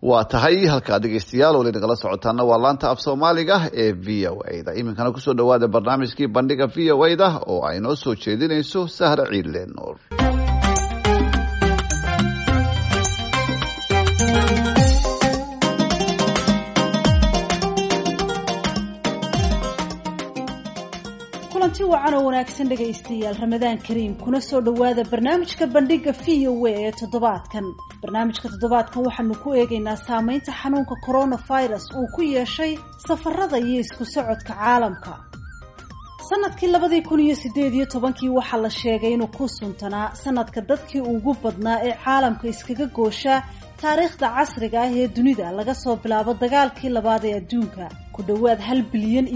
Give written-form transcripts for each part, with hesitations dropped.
Waa tahay, halkaa dhegeystayaal weli nagala socotaana waa laanta af Soomaaliga ee VOA da. Iminkana kusoo dhawaada barnaamijkii Bandhiga VOA da oo ay noo soo jeedinayso Sahra Ciidle Nuur. Kulanti wacan oo wanaagsan dhegaystayaal, Ramadaan kariim, kuna soo dhowaada barnaamijka Bandhiga VOA ee toddobaadkan. Barnaamijka toddobaadkan waxaanu ku eegaynaa saameynta xanuunka coronavirus uu ku yeeshay safarada iyo isku socodka caalamka. Sanadkii 2018-kii waxaa la sheegay inuu ku suntanaa sanadka dadkii ugu badnaa ee caalamka iskaga gooshaa taariikhda casriga ah ee dunida laga soo bilaabo dagaalkii labaad ee adduunka. Ku dhowaad 1.5 bilyan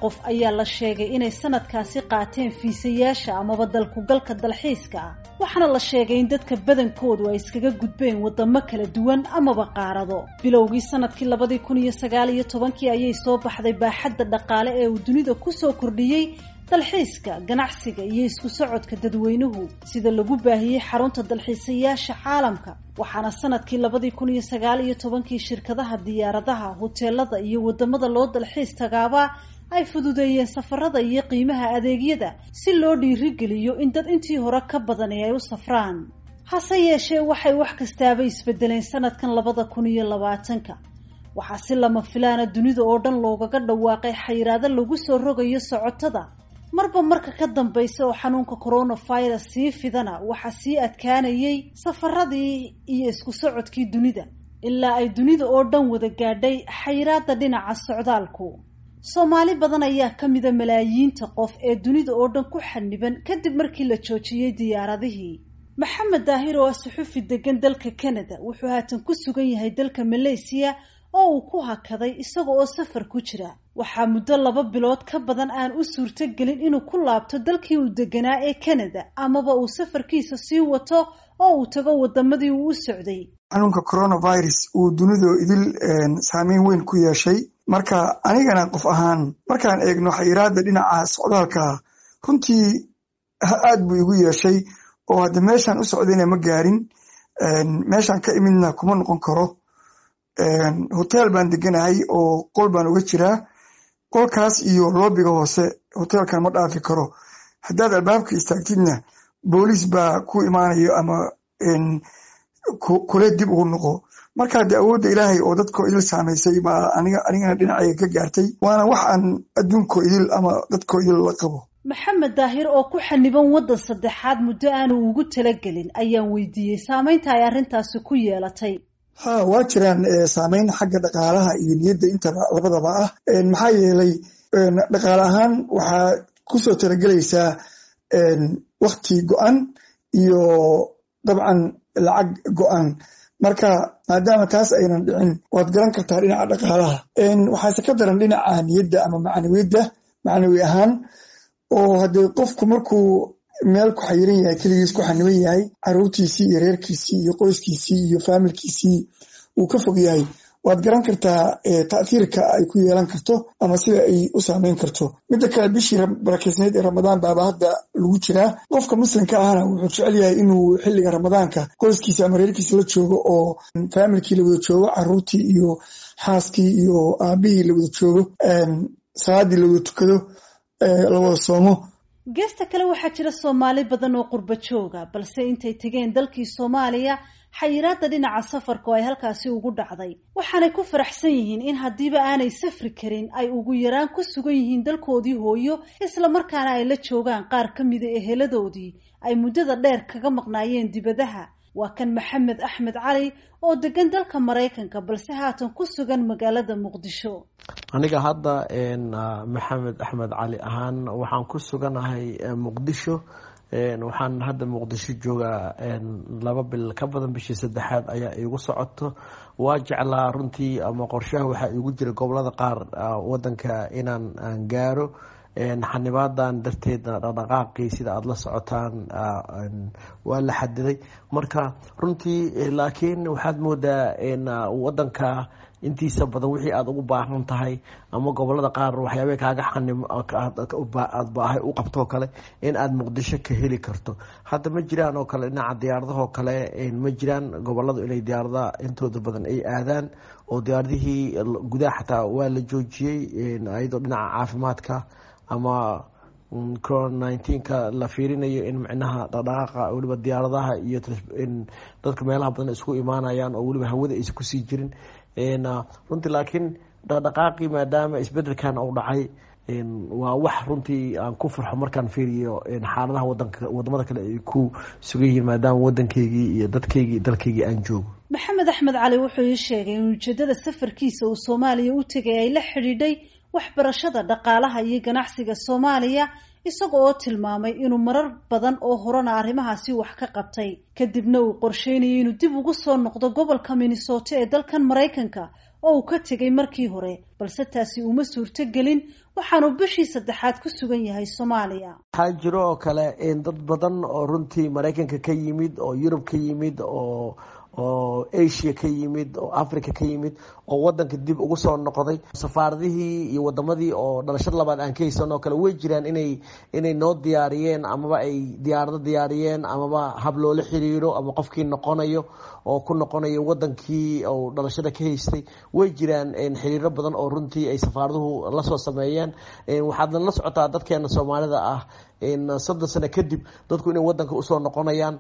qof ayaa la sheegay inay sanadkaasi qaateen fiisayaasha amaba dalkugalka dalxiiska ah, waxaana la sheegay in dadka badankoodu ay iskaga gudbeen wadamo kala duwan amaba qaarado. Bilowgii sanadkii 2019-kii ayay soo baxday baaxadda dhaqaale ee uu dunida kusoo kordhiyey dalxiiska, ganacsiga iyo isku socodka dadweynuhu, sida lagu baahiyey xarunta dalxiisayaasha caalamka. Waxaana sanadkii 2019-kii shirkadaha diyaaradaha, hoteelada iyo wadamada loo dalxiis tagaaba ay fududeeyeen safarada iyo qiimaha adeegyada si loo dhiirigeliyo in dad intii hore ka badani ay u safraan. Hase yeeshee, waxay wax kastaaba isbedeleen sanadkan 2020-ka. Waxaa si lama filaana dunida oo dhan loogaga dhawaaqay xayiraado lagu soo rogayo socotada. Marba marka ka dambaysa oo xanuunka coronavirus sii fidana, waxaa sii adkaanayay safaradii iyo isku socodkii dunida, ilaa ay dunida oo dhan wada gaadhay xayiraada dhinaca socdaalku. Soomaali badan ayaa ka mida malaayiinta qof ee dunida oo dhan ku xaniban kadib markii la joojiyey diyaaradihii. Maxamed Daahir oo ah suxufi degan dalka Canada wuxuu haatan ku sugan yahay dalka Malaysiya oo uu ku hakaday isaga oo safar ku jira. Waxaa muddo 2 bilood ka badan aan u suurtogelin inuu ku laabto dalkii uu deganaa ee Canada amaba uu safarkiisa sii wato oo uu tago wadamadii uu u socday. Xanuunka coronavirus uu dunidu idil saameyn weyn ku yeeshay. Marka anigana qof ahaan markaan eegno xayiraada dhinaca socdaalka, runtii aad buu igu yeeshay, oo hadda meeshaan u socdayna ma gaarin, meeshaan ka imidna kuma noqon karo. Hotel baan deganahay oo qol baan uga jiraa. Qolkaas iyo lobby-ga hoose hotelkan ma dhaafi karo. Haddaad albaabka istaagtidna booliis baa ku imaanayo ama kule dib ugu noqo. Marka dee awoodda Ilaahay oo dadkoo idil saamaysay baa anigana dhinacayga ka gaartay, waana wax aan adduunkoo idil ama dadkoo idil la qabo. Maxamed Daahir oo ku xaniban waddan saddexaad muddo aanu ugu talagelin ayaan weydiiyey saameynta ay arrintaasi ku yeelatay. Ha, waa jiraan saameyn xagga dhaqaalaha iyo niyadda intaba labadaba ah. Maxaa yeelay, dhaqaale ahaan waxaa kusoo talagelaysaa wakti go-an iyo dabcan lacag go-an. Marka maadaama taas aynan dhicin, waad garan kartaa dhinaca dhaqaalaha. Waxaase ka daran dhinaca niyadda ama macnawiyadda, macnawi ahaan, oo haddee qofku markuu meel ku xayiran yahay, keligiis ku xaniban yahay, caruurtiisii iyo reerkiisii iyo qoyskiisii iyo faamilkiisii uu ka fog yahay, waad garan kartaa ta'hiirka ay ku yeelan karto ama sida ay u saameyn karto. Midda kale, bishii barakeysneyd ee Ramadaan baaba hadda lagu jiraa. Qofka muslimka ahna wuxuu jecel yahay inuu xilliga Ramadaanka qoyskiisa ama reerkiisa la joogo oo faamilkii la wada joogo, caruurtii iyo xaaskii iyo aabihii la wada joogo, salaadii la wada tukado, la wada soomo. Geesta kale, waxaa jira Soomaali badan oo qurba jooga, balse intay tegeen dalkii Soomaaliya xayiraada dhinaca safarka oo ay halkaasi ugu dhacday, waxaanay ku faraxsan yihiin in haddiiba aanay safri karin ay ugu yaraan ku sugan yihiin dalkoodii hooyo, isla markaana ay la joogaan qaar ka mida eheladoodii ay muddada dheer kaga maqnaayeen dibadaha. Waa kan Maxamed Axmed Cali oo degan dalka Maraykanka balse haatan ku sugan magaalada Muqdisho. Aniga hadda Maxamed Axmed Cali ahaan waxaan ku suganahay Muqdisho. Waxaan hadda Muqdisho joogaa 2 bil ka badan, bishii saddexaad ayaa iigu socoto. Waa jeclaa runtii ama qorshaha waxaa iigu jira gobolada qaar wadanka inaan aan gaaro. Xanibaadan darteedna dhaqdhaqaaqii, sida aada la socotaan, waa la xadiday. Marka runtii laakiin waxaad moodaa wadanka Intiisa badan wixii aada ugu baahan tahay ama gobolada qaar waxyaabah kaaga xanim aad baahay u qabtoo kale in aada Muqdisho ka heli karto. Hadda ma jiraan oo kale dhinaca diyaaradahoo kale, ma jiraan goboladu inay diyaaradaha intooda badan ay aadaan, oo diyaaradihii gudaha xataa waa la joojiyey, iyadoo dhinaca caafimaadka ama corona 19-ka la fiirinayo in micnaha dhaqdhaqaaqa weliba diyaaradaha iyo dadka meelaha badan isku imaanayaan oo weliba hawada aysan kusii jirin runtii. Laakiin dhaqdhaqaaqii maadaama isbedelkan uu dhacay, waa wax runtii aan ku farxo markaan fiiriyo xaaladaha wadanka, wadamada kale ay ku sugan yihiin, maadaama wadankeygii iyo dadkeygii dalkeygii aan joogo. Maxamed Axmed Cali wuxuu ii sheegay in ujeedada safarkiisa uu Soomaaliya u tegay ay la xidhiidhay waxbarashada, dhaqaalaha iyo ganacsiga Soomaaliya, isaga oo tilmaamay inuu marar badan oo horena arrimahaasi wax ka qabtay, kadibna uu qorsheynayay inuu dib ugu soo noqdo gobolka Minnesota ee dalkan Maraykanka oo uu ka tegay markii hore, balse taasi uma suurto gelin, waxaanu bishii saddexaad ku sugan yahay Soomaaliya. Waxaa jiro oo kale dad badan oo runtii Maraykanka ka yimid, oo Yurub ka yimid, oo Asia ka yimid, oo Africa ka yimid, oo wadanka dib ugu soo noqday. Safaaradihii iyo wadamadii oo dhalashada labaad aan ka haysan oo kale way jiraan inay noo diyaariyeen amaba ay diyaarado diyaariyeen amaba hab loola xiriiro ama qofkii noqonayo oo ku noqonayo wadankii oo dhalashada ka haystay. Way jiraan xiriiro badan oo runtii ay safaaraduhu lasoo sameeyeen. Waxaadna la socotaa dadkeena Soomaalida ah 30 sano kadib dadku inay wadanka usoo noqonayaan,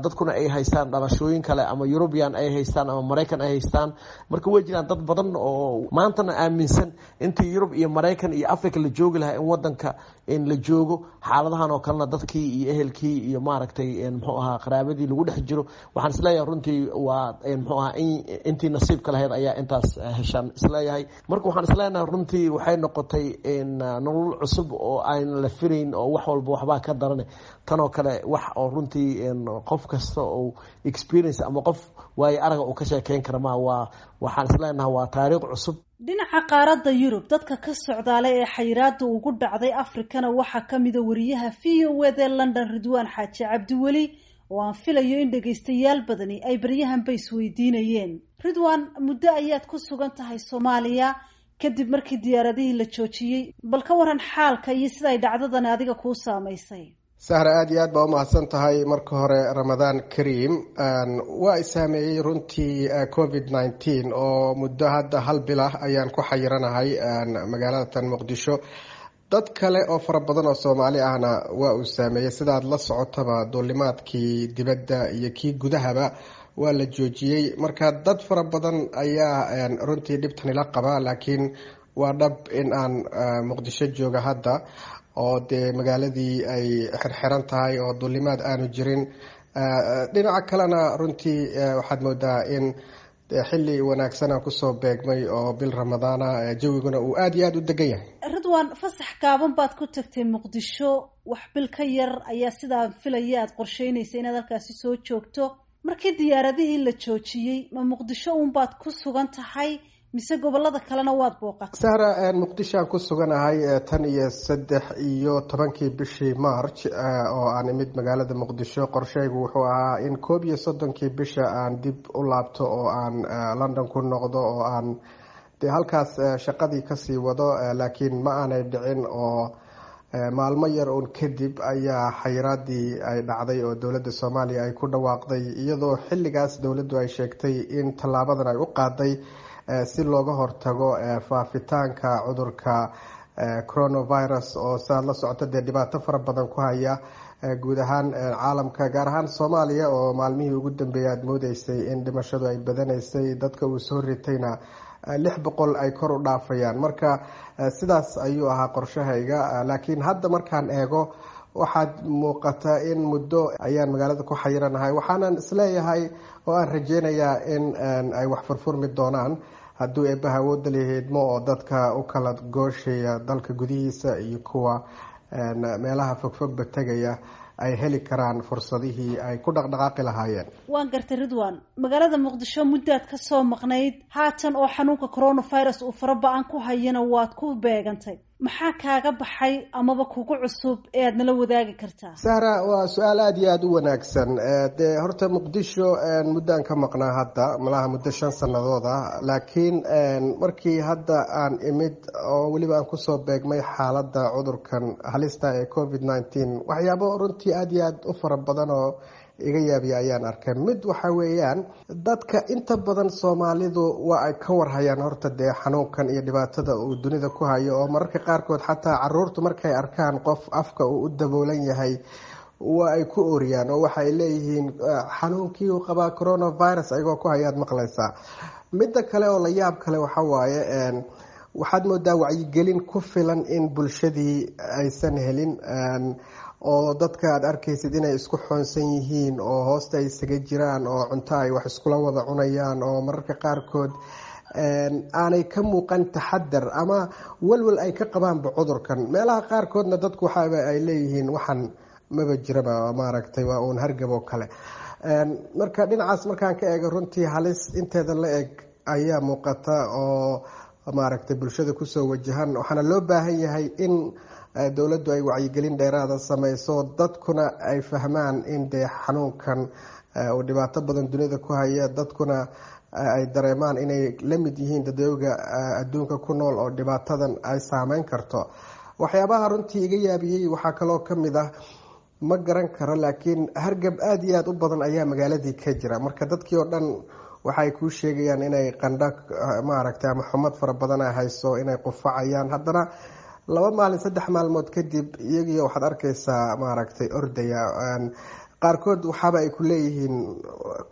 dadkuna ay haystaan dhalashooyin kale, ama European ay haystaan ama Maraykan ay haystaan. Marka way jiraan dad badan oo maantana aaminsan intii Yurub iyo Maraykan iyo Africa la joogi lahaa in wadanka in la joogo, xaaladahan oo kalena dadkii iyo ehelkii iyo maaragtay muxuu ahaa qaraabadii lagu dhex jiro. Waxaan isleeyahay runtii waa muxuu ahaa intii nasiibka lahayd ayaa intaas heshaan isleeyahay. Marka waxaan isleenahay runtii waxay noqotay nolol cusub oo aan la filayn, oo wax walba waxbaa ka darane tanoo kale, wax oo runtii qof kasta oo experience ama qof waayo araga uu ka sheekeyn kara ma waa. Waxaan isleenahay waa taariikh cusub. Dhinaca qaaradda Yurub dadka ka socdaalay ee xayiraada ugu dhacday Afrikana waxaa kamida wariyaha VOA da London, Ridwaan Xaaji Cabdiweli, oo aan filayo in dhegaystayaal badani ay baryahanba isweydiinayeen. Ridwaan, muddo ayaad ku sugan tahay Soomaaliya kadib markii diyaaradihii la joojiyey. Bal ka waran xaalka iyo sida ay dhacdadani adiga kuu saamaysay? Sahra, aada iyo aad baa umahadsan tahay. Marka hore, Ramadaan Kariim. Waa i saameeyey runtii COVID 19, oo muddo hadda hal bilah ayaan ku xayiranahay magaalada tan Muqdisho. Dad kale oo fara badan oo Soomaali ahna waa uu saameeyey. Sidaad la socotaba, duulimaadkii dibadda iyo kii gudahaba waa la joojiyey. Marka dad fara badan ayaa runtii dhibtani la qaba, laakiin waa dhab in aan Muqdisho jooga hadda, oo dee magaaladii ay xirxiran tahay oo duulimaad aanu jirin. Dhinaca kalena runtii waxaad moodaa in xilli wanaagsan aan kusoo beegmay oo bil Ramadaana, jawiguna uu aada iyo aada u degan yahay. Ridwaan, fasax gaaban baad ku tagtay Muqdisho, wax bil ka yar ayaa sidaan filaya aad qorsheynaysa inaad halkaasi soo joogto. Markii diyaaradihii la joojiyey, ma Muqdisho uunbaad ku sugan tahay mise gobolada kalena waad booqatay? Sahra, Muqdisho aan ku suganahay tan iyo 13-kii bishii March oo aan imid magaalada Muqdisho. Qorsheygu wuxuu ahaa in 31-kii bisha aan dib u laabto oo aan London ku noqdo oo aan dee halkaas shaqadii kasii wado, laakiin ma aanay dhicin, oo maalmo yar uun kadib ayaa xayiraadii ay dhacday oo dowladda Soomaaliya ay ku dhawaaqday, iyadoo xilligaas dowladdu ay sheegtay in tallaabadan ay u qaaday si looga hortago faafitaanka cudurka coronavirus, oo saad la socota dee dhibaato fara badan ku haya guud ahaan caalamka, gaar ahaan Soomaaliya, oo maalmihii ugu dambeeyay aada moodeysay in dhimashadu ay badanaysay, dadka uu soo ritayna 600 ay kor u dhaafayaan. Marka sidaas ayuu ahaa qorshahayga, laakiin hadda markaan eego waxaad muuqata in muddo ayaan magaalada ku xayiranahay. Waxaanan isleeyahay oo aan rajeynayaa in ay wax furfurmi doonaan hadduu eebbaha awoodda laheedmo, oo dadka u kala gooshaya dalka gudihiisa iyo kuwa meelaha fogfogba tegaya ay heli karaan fursadihii ay ku dhaqdhaqaaqi lahaayeen. Waan gartay Ridwan, magaalada Muqdisho muddaad ka soo maqnayd, haatan oo xanuunka coronavirus uu fara ba-an ku hayana waad ku beegantay. Maxaa kaaga baxay amaba kugu cusub ee aad nala wadaagi kartaa? Sahra, waa su-aal aada iyo aada u wanaagsan. Dee horta Muqdisho muddaan ka maqnaa hadda, malaha muddo 5 sannadood ah, laakiin markii hadda aan imid oo weliba aan kusoo beegmay xaaladda cudurkan halista ee COVID-19, waxyaabo runtii aada iyo aada u fara badan oo iga yaabiya ayaan arkay. Mid waxa weeyaan, dadka inta badan Soomaalidu waa ay ka warhayaan horta dee xanuunkan iyo dhibaatada uu dunida ku hayo, oo mararka qaarkood xataa caruurtu markay arkaan qof afka uu u daboolan yahay waa ay ku ooriyaan oo waxay leeyihiin xanuunkii uu qabaa coronavirus, ayagoo ku hayaad maqlaysaa. Midda kale oo la yaab kale waxa waaye, waxaad moodaa wacyigelin ku filan in bulshadii aysan helin, oo dadka aad arkaysid inay isku xoonsan yihiin oo hoosta ay isaga jiraan oo cunto ay wax iskula wada cunayaan, oo mararka qaarkood aanay ka muuqan taxadar ama walwal ay ka qabaanba cudurkan. Meelaha qaarkoodna dadku waxaaba ay leeyihiin waxan maba jiraba, maaragtay, waa uun hargab oo kale. Marka dhinacaas markaan ka eego, runtii halis inteeda la eg ayaa muuqata oo maaragtay bulshada kusoo wajahan, waxaana loo baahan yahay in dowladdu ay wacyigelin dheeraada sameyso, dadkuna ay fahmaan in dee xanuunkan uu dhibaato badan dunida ku haya, dadkuna ay dareemaan inay la mid yihiin dadooga adduunka ku nool oo dhibaatadan ay saameyn karto. Waxyaabaha runtii iga yaabiyey waxaa kaloo ka mid ah, ma garan karo, laakiin hargab aada iyo aada u badan ayaa magaaladii ka jira. Marka dadkii oo dhan waxay kuu sheegayaan inay qandho, maaragtay, ama xumad fara badan ay hayso, inay qufacayaan. Haddana 2 maalin, 3 maalmood kadib, iyagii waxaad arkaysaa, maaragtay, ordaya. Qaarkood waxaaba ay ku leeyihiin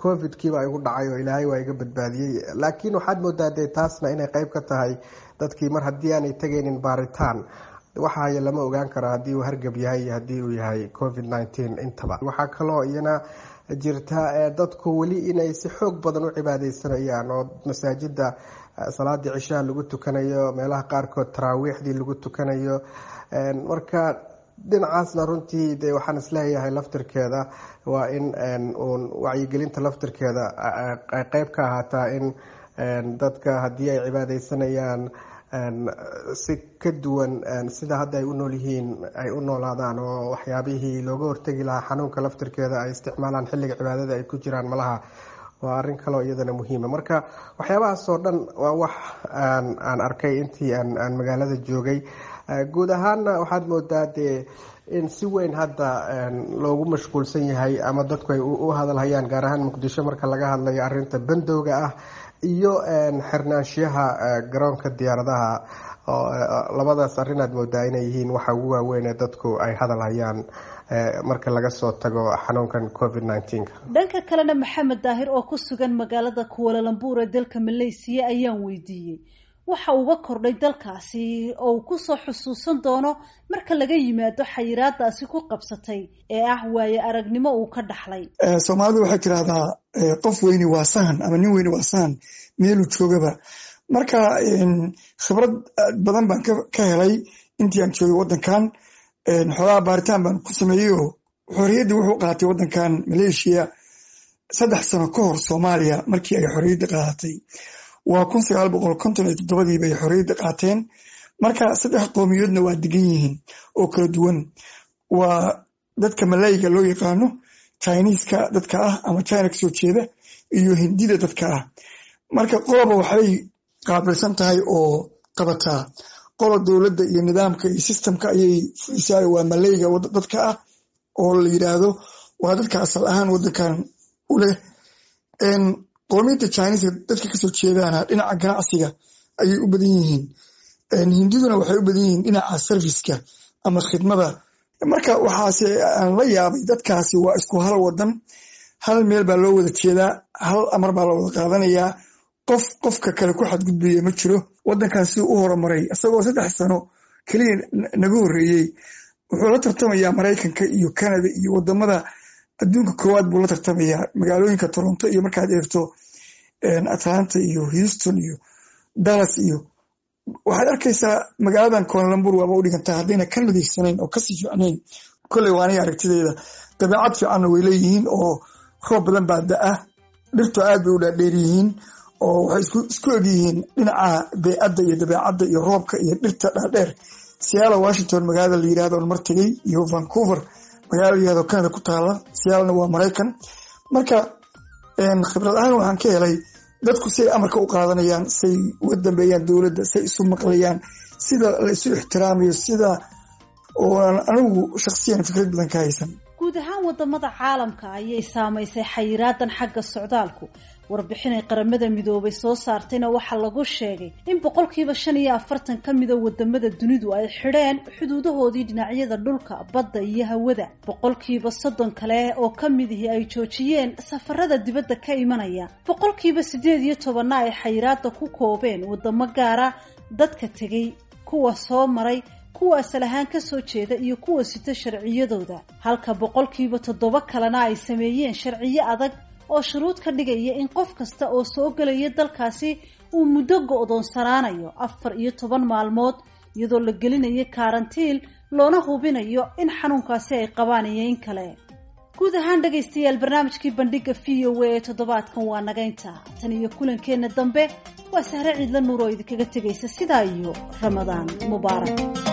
COVID-kiiba igu dhacay oo Ilaahay waa iga badbaadiyey. Laakiin waxaad moodaa dee taasna inay qeyb ka tahay dadkii mar haddii aanay tegaynin baaritaan, waxaaya lama ogaan karo haddii uu hargab yahay iyo haddii uu yahay COVID-19 intaba. Waxaa kaloo iyana jirta dadku weli inay si xoog badan u cibaadeysanayaan oo masaajida salaadii cishaha lagu tukanayo, meelaha qaarkood taraawiixdii lagu tukanayo. Marka dhinacaasna runtii de waxaan isleeyahay laftirkeeda waa in uun wacyigelinta laftirkeeda ay qeyb ka ahaataa, in dadka haddii ay cibaadeysanayaan si ka duwan sida hadda ay u nool yihiin ay u noolaadaan, oo waxyaabihii looga hortegi lahaa xanuunka laftirkeeda ay isticmaalaan xilliga cibaadada ay ku jiraan. Malaha waa arrin kaloo iyadana muhiima. Marka waxyaabahaas oo dhan waa wax aan arkay intii aan magaalada joogay. Guud ahaanna waxaad moodaa dee in si weyn hadda loogu mashquulsan yahay ama dadku ay u hadalhayaan, gaar ahaan Muqdisho marka laga hadlayo, arrinta bandowga ah iyo xirnaanshiyaha garoonka diyaaradaha. Labadaas arrin aad moodaa inay yihiin waxa ugu waaweyn ee dadku ay hadalhayaan marka laga soo tago xanuunkan COVID-19-ka. Dhanka kalena, Maxamed Daahir oo ku sugan magaalada Kuala Lumpur ee dalka Malaysiya ayaan weydiiyey waxa uga kordhay dalkaasi oo uu kusoo xusuusan doono marka laga yimaado xayiraadaasi ku qabsatay ee ah waaye aragnimo uu ka dhaxlay. Soomaalidu waxay tirahdaa qof weyni waa sahan ama nin weyni waa sahan meeluu joogaba. Marka khibrad badan baan ka helay intii aan joogay waddankan. Xoolaha baaritaan baan ku sameeyey oo xorriyaddii wuxuu qaatay waddankan Maleeshiya 3 sano ka hor Soomaaliya markii ay xorriyadda qaadatay. Waa 1957-dii bay xorriyadda qaateen. Marka saddex qowmiyoodna waa degan yihiin oo kala duwan: waa dadka Malayga loo yaqaano, Chiniiska dadka ah ama China kasoo jeeda, iyo Hindida dadka ah. Marka qoloba waxbay qaabilsan tahay oo qabataa. Qolo dowladda iyo nidaamka iyo systemka ayay fulisaa, waa Malayga dadka ah oo la yidhaahdo waa dadka asal ahaan waddankan u leh. Qoomiyadda Chiniiska dadka kasoo jeedaana dhinaca ganacsiga ayay u badan yihiin. Hindiduna waxay u badan yihiin dhinaca serviceka ama khidmada. Marka waxaase aan la yaabay, dadkaasi waa isku hal wadan, hal meel baa loo wada jeedaa, hal amar baa la wada qaadanayaa, qof qofka kale ku xadgudbaya ma jiro. Waddankaasi u horumaray isagoo 3 sano keliya naga horreeyey. Wuxuu la tartamayaa Maraykanka iyo Canada iyo wadamada adduunka koowaad buu la tartamayaa. Magaalooyinka Toronto iyo markaad eegto Atlanta iyo Houston iyo Dallas iyo waxaad arkaysaa magaaladan Kuala Lumpur waaba u dhigantaa haddayna ka nadiifsanayn oo kasii fiicnayn. Kolley waa aniga aragtideyda. Dabeecad fiicanna way leeyihiin oo roob badan baa da-a, dhirtu aad bay u dhaadheer yihiin oo waxay isku egyihiin dhinaca beecadda iyo dabeecadda iyo roobka iyo dhirta dhaadheer. Seattle, Washington magaalada la yirahdo on mar tegey, iyo Vancouver magaalada la yirahdo Canada ku taala. Seattlena waa Maraykan. Marka khibrad ahaan waxaan ka helay dadku siay amarka u qaadanayaan, say uga dambeeyaan dowladda, say isu maqlayaan, sida la isu ixtiraamayo, sida ooan anigu shakhsiyan fikrad badan ka haysan. Guud ahaan wadamada caalamka ayay saamaysay xayiraadan xagga socdaalku. Warbixinay Qaramada Midoobay soo saartayna waxaa lagu sheegay in 45% ka mida wadamada dunidu ay xidheen xuduudahoodii dhinacyada dhulka, badda iyo hawada, 30% kale oo ka midihii ay joojiyeen safarada dibadda ka imanaya, 18%-na ay xayiraada ku koobeen wadamo gaara dadka tegay, kuwa soo maray, kuwa asal ahaan kasoo jeeda iyo kuwa sita sharciyadooda, halka 7% kalena ay sameeyeen sharciyo adag oo shuruud ka dhigaya in qof kasta oo soo gelaya dalkaasi uu muddo go'doonsanaanayo 14 maalmood, iyadoo la gelinayo karantiil loona hubinayo in xanuunkaasi ay qabaan iyo in kale. Guud ahaan dhegaystayaal, barnaamijkii Bandhiga VOA ee toddobaadkan waa nagaynta. Tan iyo kulankeenna dambe, waa Sahre Ciidla Nuur oo idinkaga tegaysa sidaa iyo Ramadaan mubaarak.